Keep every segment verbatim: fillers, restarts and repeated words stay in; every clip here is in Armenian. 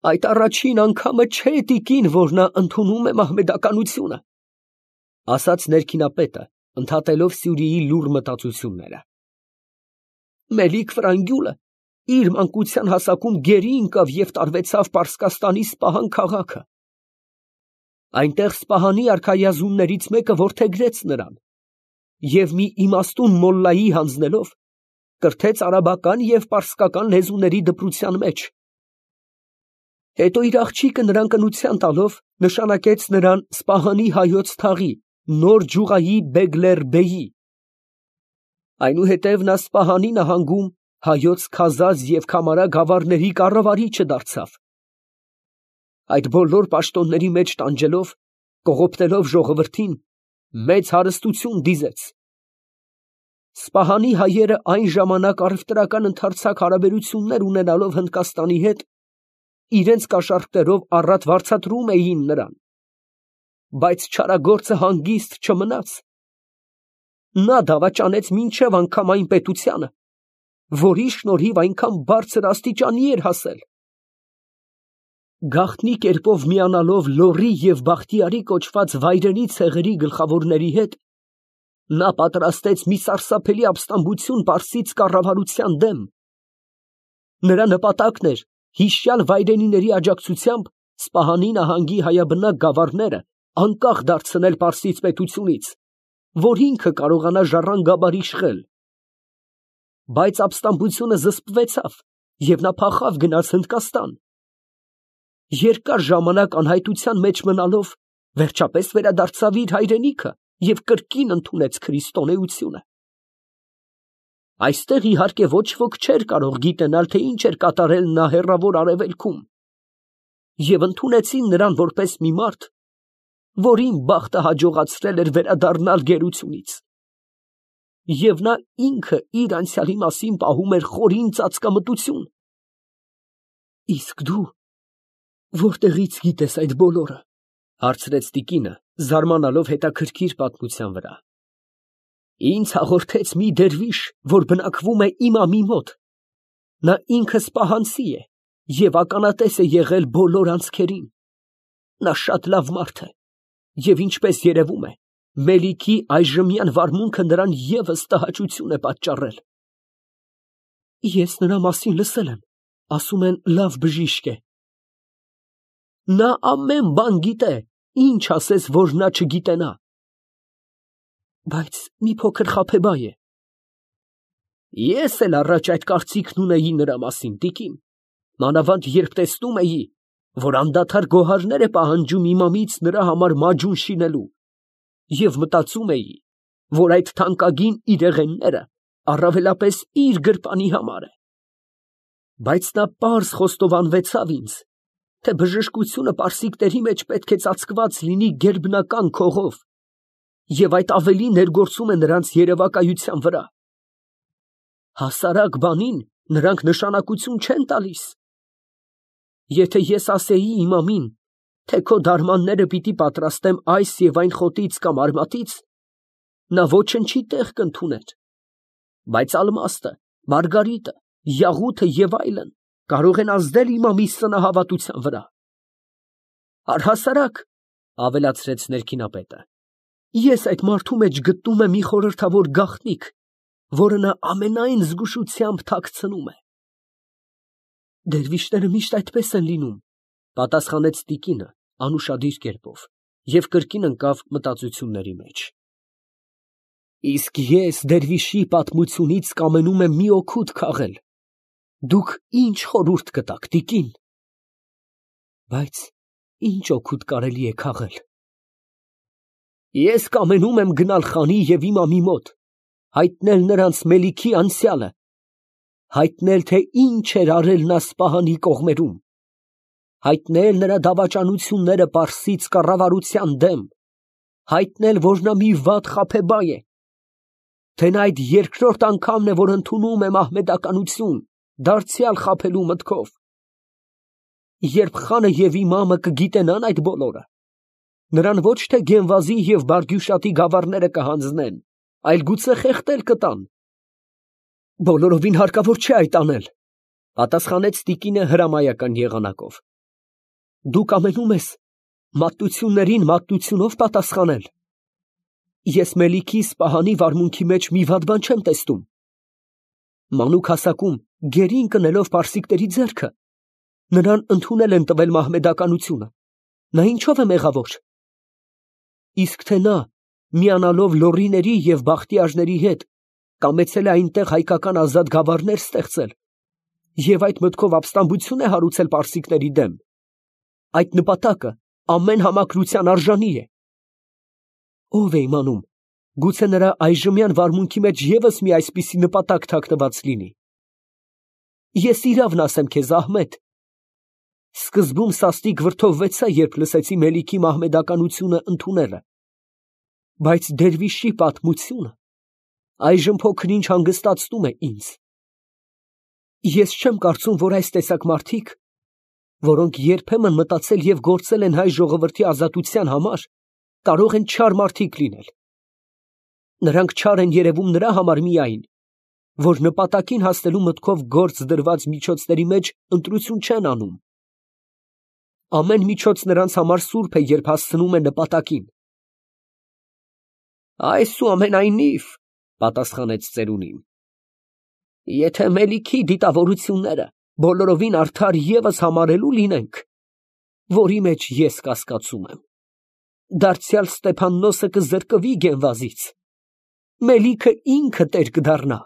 Այդ առաջին անգամը չէ, տիկին, որ նա ընդունում է մահմեդականությունը, ասաց ներքինապետը, ընդհատելով Սյուրիի լուռ մտածությունները։ Մելիք Վրանգյուլը իր մանկության հասակում գերի ընկավ և տարվեցավ Պարսկաստանի Սպահան քաղաքը։ Այնտեղ Սպահանի արքայազուններից մեկը որդեգրեց նրան և մի իմաստուն մոլլայի հանձնելով կրթեց արաբական և պարսկական լեզուների դպրության մեջ։ Հետո իր աղջիկը նրան կնության տալով նշանակեց նրան Սպահանի հայոց թաղի Նոր Ջուղայի Բեգլերբեյի։ Այնուհետև նա Սպահանի նահանգում հայոց Քազած և Քամարա գավառների կառավարիչը դարձավ։ Այդ բոլոր պաշտոնների մեջ տանջելով, կողոպտելով ժողովրդին, մեծ հարստություն դիզեց։ Սպահանի հայերը այն ժամանակ առևտրական ընդարձակ հարաբերություններ ունենալով Հնդկաստանի հետ, իրենց կաշառքներով առատ վարձատրում էին նրան, բայց չարագործը հանգիստ չմնաց։ Նա դավաճանեց մինչև անգամ այն պետությանը, որի շնորհիվ այնքան բարձր աստիճանի էր հասել։ Գաղտնի կերպով միանալով Լոռի և Բախտիարի կոչված վայրենի ցեղերի գլխավորների հետ, նա պատրաստեց մի սարսափելի ապստամբություն պարսից կառավարության դեմ։ Նրա նպատակն էր հիշյալ վայրենիների աջակցությամբ Սպահանի նահանգի հայաբնակ գավառները անկախ դարձնել պարսից պետությունից, որ ինքը կարողանա ժառանգաբար իշխել։ Բայց ապստամբությունը զսպվեցավ, և նա փախավ գնաց Հնդկաստան։ Երկար ժամանակ անհայտության մեջ մնալով, վերջապես վերադարձավ իր հայրենիքը և կրկին ընդունեց քրիստոնեությունը։ Այստեղ, իհարկե, ոչ ոք չէր կարող գիտենալ, թե ինչ էր կատարել նա հեռավոր Արևելքում, և ընդունեցին նրան որպես մի մարդ, որին բախտը հաջողացրել էր վերադառնալ գերությունից։ Եվ նա ինքը իր անցյալի մասին պահում էր խորին ծածկամտություն։ Իսկ դու ո՞րտեղից գիտես այդ բոլորը, հարցրեց տիկինը, զարմանալով հետաքրքիր պատմության վրա։ Ինձ հաղորդեց մի դերվիշ, որ բնակվում է իմամի մոտ։ Նա ինքը սպահանցի է և ականատես է եղել բոլոր անցքերին։ Նա շատ լավ մարդ է, և ինչպես երևում է, Մելիքի այժմյան վարմունքը նրան ևս տհաճություն է պատճառել։ Ես նրա մասին լսել եմ, ասում են լավ բժիշկ է։ Նա ամեն բան գիտե, ինչ ասես, որ նա չգիտենա։ Բայց մի փոքր խաբեբայ է։ Ես էլ առաջ այդ կարծիքն ունեի նրա մասին, տիկին, մանավանդ երբ տեսնում էի, որ անդադար գոհարներ է պահանջում իմամից նրա համար մաջուն շինելու, և մտածում էի, որ այդ թանկագին իրեղենները առավելապես իր գրպանի համար է։ Բայց նա պարզ խոստովանվեցավ ինձ, թե բժշկությունը պարսիկների մեջ պետք է ծածկված լինի գերբնական քողով, և այդ ավելի ներգործում է նրանց երևակայության վրա։ Հասարակ բանին նրանք նշանակություն չեն տալիս։ Եթե ես ասեի իմամին, թե քո դարմանները պիտի պատրաստեմ այս և այն խոտից կամ արմատից, նա ոչնչի տեղ կընդուներ, բայց ալմաստը, մարգարիտը, յաղութը և այլն կարող են ազդել իմամի սնահավատության վրա։ Առհասարակ, ավելացրեց ներքինապետը, ես այդ մարդու մեջ գտնում եմ մի խորհրդավոր գաղտնիք, որը նա ամենայն զգուշությամբ թաքցնում է։ Դերվիշները միշտ այդպես են լինում, պատասխանեց տիկինը անուշադիր կերպով և կրկին ընկավ մտածությունների մեջ։ Իսկ ես դերվիշի պատմությունից կամենում եմ մի օգուտ քաղել։ Դուք ինչ խորհուրդ կտաք, տիկին։ Բայց ինչ օգուտ կարելի է քաղել։ Ես կամենում եմ գնալ խանի և իմամի մոտ, հայտնել նրանց Մելիքի անցյալը, հայտնել, թե ինչ էր արել նա Սպահանի կողմերում, հայտնել նրա դավաճանությունները պարսից կառավարության դեմ, հայտնել, որ նա մի վատ խաբեբայ է, թե նա այդ երկրորդ անգամն է, որ ընդունում է մահմեդականություն, դարձյալ խաբելու մտքով։ Երբ խանը և իմամը կգիտենան այդ բոլորը, նրան ոչ թե Գենվազի և Բարգյուշատի գավառները կհանձնեն, այլ գուցե խեղդել կտան։ Բոլորովին հարկավոր չէ այդ անել, պատասխանեց տիկինը հրամայական եղանակով։ Դու կամենում ես մատտություններին մատտությունով պատասխանել։ Ես Մելիքի Սպահանի վարմունքի մեջ մի վատ բան չեմ տեսնում։ Մանուկ հասակում գերին կնելով պարսիկների ձեռքը, նրան ընդունել են տվել մահմեդականությունը, նա ինչով է մեղավոր։ Իսկ թե նա, միանալով լոռիների և բախտիարների հետ, կամեցել է այնտեղ հայկական ազատ գավառներ ստեղծել և այդ մտքով ապստամբություն է հարուցել պարսիկների դեմ, այդ նպատակը ամեն համակրության արժանի է։ Ո՞վ է իմանում, գուցե նրա այժմյան վարմունքի մեջ ևս մի այսպիսի նպատակ թաքնված լինի։ Ես իրավն ասեմ քեզ, Ահմեդ, սկզբում սաստիկ վրդովվեցա, երբ լսեցի Մելիքի մահմեդականությունը ընդունելը, բայց դերվիշի պատմությունը այժմ փոքր-ինչ հանգստացնում է ինձ։ Ես չեմ կարծում, որ այս տեսակ մարդիկ, որոնք երբեմն մտածել և գործել են հայ ժողովրդի ազատության համար, կարող են չար մարդիկ լինել։ Նրանք չար են երևում նրա համար միայն, որ նպատակին հասնելու մտքով գործ դրված միջոցների մեջ ընտրություն չեն անում։ Ամեն միջոց նրանց համար սուրբ է, երբ հասցնում է նպատակին։ Այսուամենայնիվ, պատասխանեց ծերունին, եթե Մելիքի դիտավորությունները բոլորովին արդար ևս համարելու լինենք, որի մեջ ես կասկածում եմ, դարձյալ Ստեփաննոսը կզրկվի Գենվազից, Մելիքը ինքը տեր կդառնա,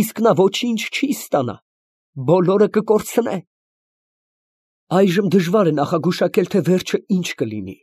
իսկ նա ոչինչ չի ստանա, բոլորը կկորցնե։ Այժմ դժվար է նախագուշակել, թե վերջը ինչ կլինի։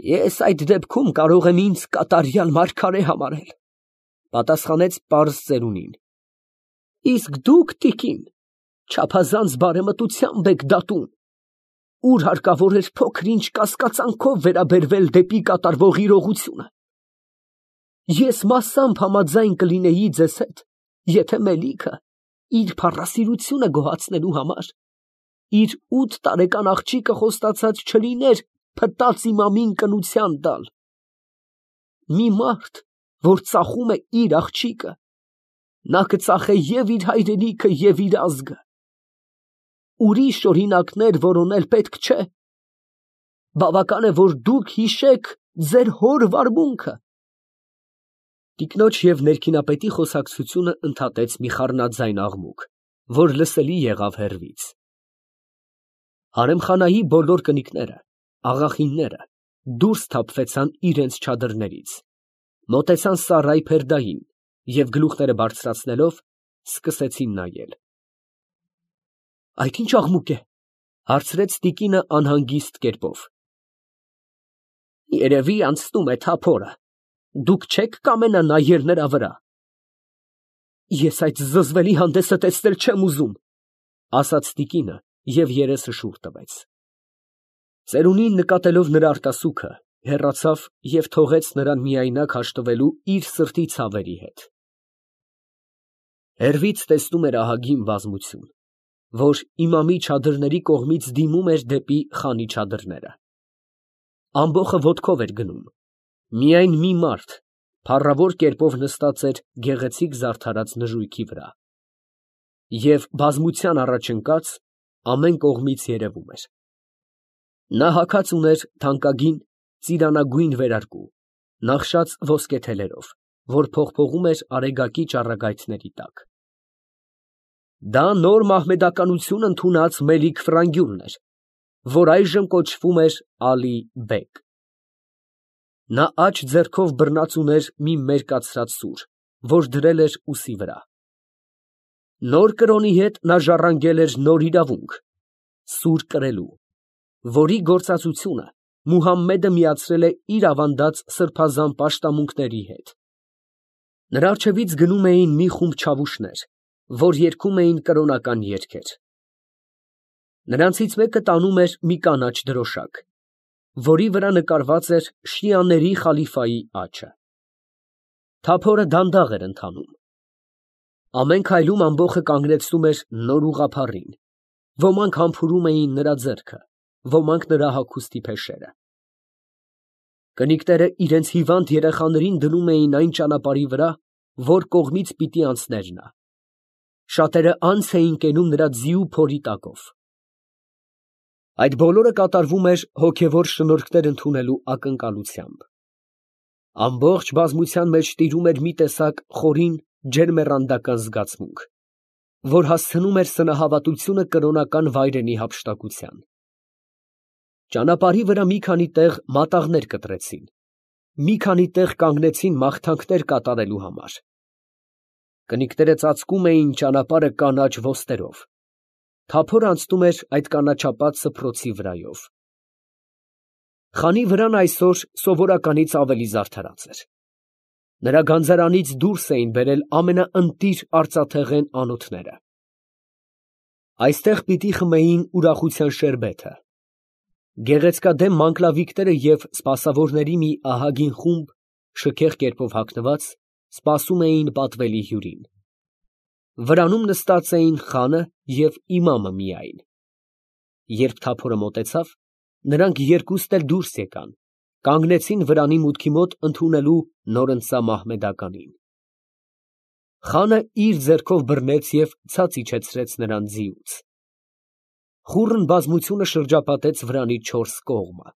Ես այդ դեպքում կարող եմ ինձ կատարյալ մարգարե համարել, պատասխանեց պարզ ծերունին։ Իսկ դուք, տիկին, չափազանց բարեմտությամբ եք դատում, ուր հարկավոր էր փոքր-ինչ կասկածանքով վերաբերվել դեպի կատարվող իրողությունը։ Ես մասամբ համաձայն կլինեի ձեզ հետ, եթե Մելիքը իր փառասիրությունը գոհացնելու համար իր ութ տարեկան աղջիկը խոստացած չլիներ փտած իմամին կնության տալ։ Մի մարդ, որ ծախում է իր աղջիկը, նա կծախե և իր հայրենիքը, և իր ազգը։ Ուրիշ օրինակներ որոնել պետք չէ։ Բավական է, որ դուք հիշեք ձեր հոր վարմունքը։ Տիկնոջ և ներքինապետի խոսակցությունը ընդհատեց մի խառնաձայն աղմուկ, որ լսելի եղավ հեռվից։ Հարեմխանայի բոլոր կնիկները, աղախինները դուրս թափվեցան իրենց չադրներից, մոտեցան սառայի փերդային և գլուխները բարձրացնելով սկսեցին նայել։ Այդ ի՞նչ աղմուկ է, հարցրեց տիկինը անհանգիստ կերպով։ Երևի անցնում է թափորը, դուք չե՞ք կամենա նայել նրա վրա։ Ես այդ զզվելի հանդեսը տեսնել չեմ ուզում, ասաց տիկինը և երեսը շուռ տվեց։ Ծերունին նկատելով նրա արտասուքը, հեռացավ և թողեց նրան միայնակ հաշտվելու իր սրտի ցավերի հետ։ Հեռվից տեսնում էր ահագին բազմություն, որ իմամի չադրների կողմից դիմում էր դեպի խանի չադրները։ Ամբոխը ոտքով էր գնում, միայն մի մարդ փառավոր կերպով նստած էր գեղեցիկ զարդարած նժույգի վրա, և բազմության առաջ ընկած ամեն կողմից երևում էր։ Նա հագած ուներ թանկագին ծիրանագույն վերարկու, նախշած ոսկե թելերով, որ փողփողում էր արեգակի ճառագայթների տակ։ Դա նոր մահմեդականություն ընդունած Մելիք Ֆրանգյունն էր, որ այժմ կոչվում էր Ալի֊բեգ։ Նա աջ ձեռքով բռնած ուներ մի մերկացրած սուր, որ դրել էր ուսի վրա։ Նոր կրոնի հետ նա ժառանգել էր նոր իրավունք՝ սուր կրելու, որի գործածությունը Մուհամմեդը միացրել է իր ավանդած սրբազան պաշտամունքների հետ։ Նրա առջևից գնում էին մի խումբ չավուշներ, որ երգում էին կրոնական երգեր։ Նրանցից մեկը տանում էր մի կանաչ դրոշակ, որի վրա նկարված էր շիաների խալիֆայի աչը։ Թափորը դանդաղ էր ընթանում։ Ամեն քայլում ամբոխը կանգնեցնում էր նոր ուղղափառին, ոմանք համբուրում էին նրա ձեռքը, ոմանք նրա հագուստի փեշերը։ Կնիկները իրենց հիվանդ երեխաներին դնում էին այն ճանապարհի վրա, որ կողմից պիտի անցներ նա։ Շատերը անց էին կենում նրա ձիու փորի տակով։ Այդ բոլորը կատարվում էր հոգևոր շնորհքներ ընդունելու ակնկալությամբ։ Ամբողջ բազմության մեջ տիրում էր մի տեսակ խորին ջերմեռանդական զգացմունք, որ հասցնում էր սնահավատությունը կրոնական վայրենի հափշտակության։ Ճանապարհի վրա մի քանի տեղ մատաղներ կտրեցին, մի քանի տեղ կանգնեցին մաղթանքներ կատարելու համար։ Կնիկները ծածկում էին ճանապարհը կանաչ ոստերով, թափոր անցնում էր այդ կանաչապատ սփռոցի վրայով։ Խանի վրան այսօր սովորականից ավելի զարդարած էր։ Նրա գանձարանից դուրս էին բերել ամենաընտիր արծաթեղեն անոթները։ Այստեղ պիտի խմեին ուրախության շերբեթը։ Գեղեցկադեմ մանկլավիկները և սպասավորների մի ահագին խումբ, շքեղ կերպով հագնված, սպասում էին պատվելի հյուրին։ Վրանում նստած էին խանը և իմամը միայն։ Երբ թափորը մոտեցավ, նրանք երկուստ էլ դուրս եկան, կանգնեցին վրանի մուտքի մոտ ընդունելու նորընծա մահմեդականին։ Խանը իր ձեռքով բռնեց և ցած իջեցրեց նրան ձիուց։ Խուռն բազմությունը շրջապատեց վրանի չորս կողմը։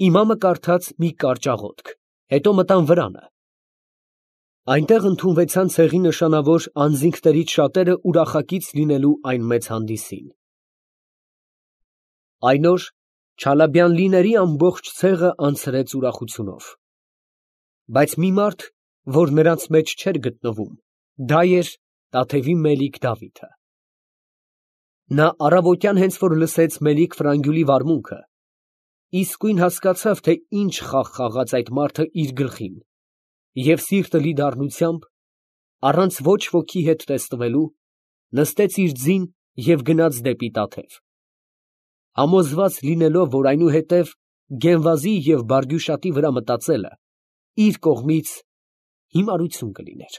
Իմամը կարդաց մի կարճ աղոթք, հետո մտան վրանը։ Այնտեղ ընդունվեցան ցեղի նշանավոր անձինքներից շատերը ուրախակից լինելու այն մեծ հանդիսին։ Այն օր Չալաբյանլիների ամբողջ ցեղը անցրեց ուրախությունով։ Բայց մի մարդ, որ նրանց մեջ չէր գտնվում, դա էր Տաթևի Մելիք Դավիթը։ Նա առավոտյան հենց որ լսեց Մելիք֊Ֆրանգյուլի վարմունքը, իսկույն հասկացավ, թե ինչ խաղ խաղաց այդ մարդը իր գլխին, և սիրտը լի դառնությամբ, առանց ոչ ոքի հետ տեսնվելու, նստեց իր ձին և գնաց դեպի Տաթև, համոզված լինելով, որ այնուհետև Գենվազի և Բարգյուշատի վրա մտածելը իր կողմից հիմարություն կլիներ։